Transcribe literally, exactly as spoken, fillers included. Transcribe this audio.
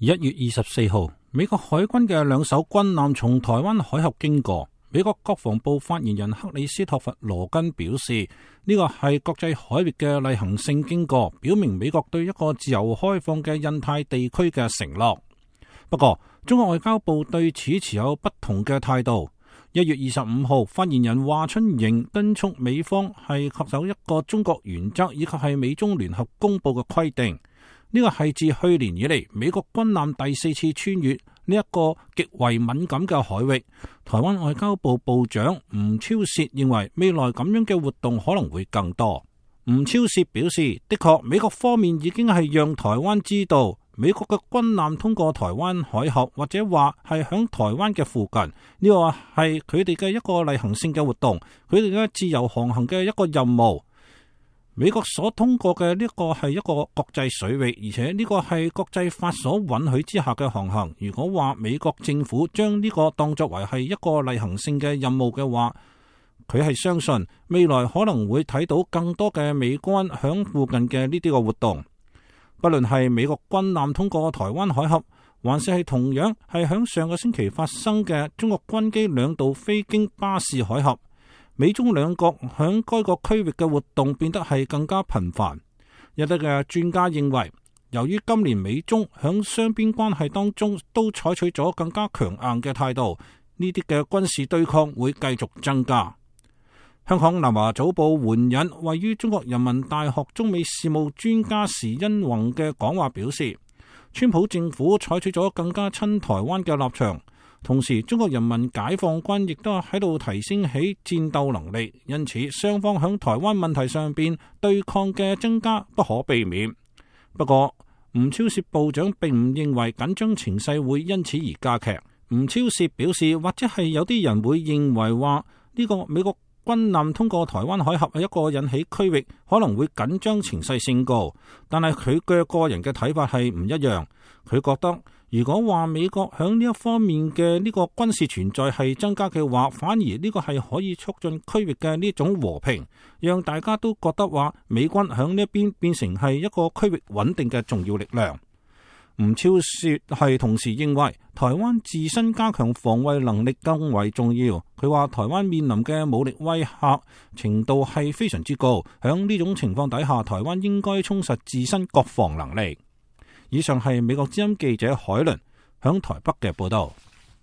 一月二十四號，美國海軍嘅兩艘軍艦從台灣海峽經過。美國國防部發言人克里斯托弗羅根表示，呢個係國際海域嘅例行性經過，表明美國對一個自由開放嘅印太地區嘅承諾。不過，中國外交部對此持有不同嘅態度。一月二十五號，發言人華春瑩敦促美方係恪守一個中國原則，以及係美中聯合公佈嘅規定。呢個係自去年以嚟美國軍艦第四次穿越呢一個極為敏感嘅海域。台灣外交部部長吳釗燮認為未來咁樣嘅活動可能會更多。吳釗燮表示，的確美國方面已經係讓台灣知道，美國嘅軍艦通過台灣海峽，或者話係響台灣嘅附近，呢個係佢哋嘅一個例行性嘅活動，佢哋嘅自由航行嘅一個任務。美國所通過嘅呢個係一個國際水域，而且呢個係國際法所允許之下嘅航行。如果話美國政府將呢個當作為係一個例行性嘅任務嘅話，佢係相信未來可能會睇到更多嘅美軍響附近嘅呢啲個活動。不論係美國軍艦通過台灣海峽，還是係同樣係響上個星期發生嘅中國軍機兩度飛經巴士海峽。美中兩國響該個區域嘅活動變得係更加頻繁。有啲嘅專家認為，由於今年美中響雙邊關係當中都採取咗更加強硬嘅態度，呢啲嘅軍事對抗會繼續增加。香港南華早報援引位於中國人民大學中美事務專家時殷弘嘅講話表示，川普政府採取咗更加親台灣嘅立場。同時，中國人民解放軍亦都喺度提升起戰鬥能力，因此雙方響台灣問題上邊對抗嘅增加不可避免。不過，吳釗燮部長並唔認為緊張情勢會因此而加劇。吳釗燮表示，或者係有啲人會認為話呢個美國軍艦通過台灣海峽係一個引起區域可能會緊張情勢升高，但係佢嘅個人嘅睇法係唔一樣。佢覺得如果話美國響呢一方面嘅呢個軍事存在係增加嘅話，反而呢個係可以促進區域嘅呢種和平，讓大家都覺得話美軍響呢一邊變成係一個區域穩定嘅重要力量。吳釗燮係同時認為台灣自身加強防衛能力更為重要。佢話台灣面臨嘅武力威嚇程度係非常之高，響呢種情況底下，台灣應該充實自身國防能力。以上係美國之音記者海倫響台北嘅報道。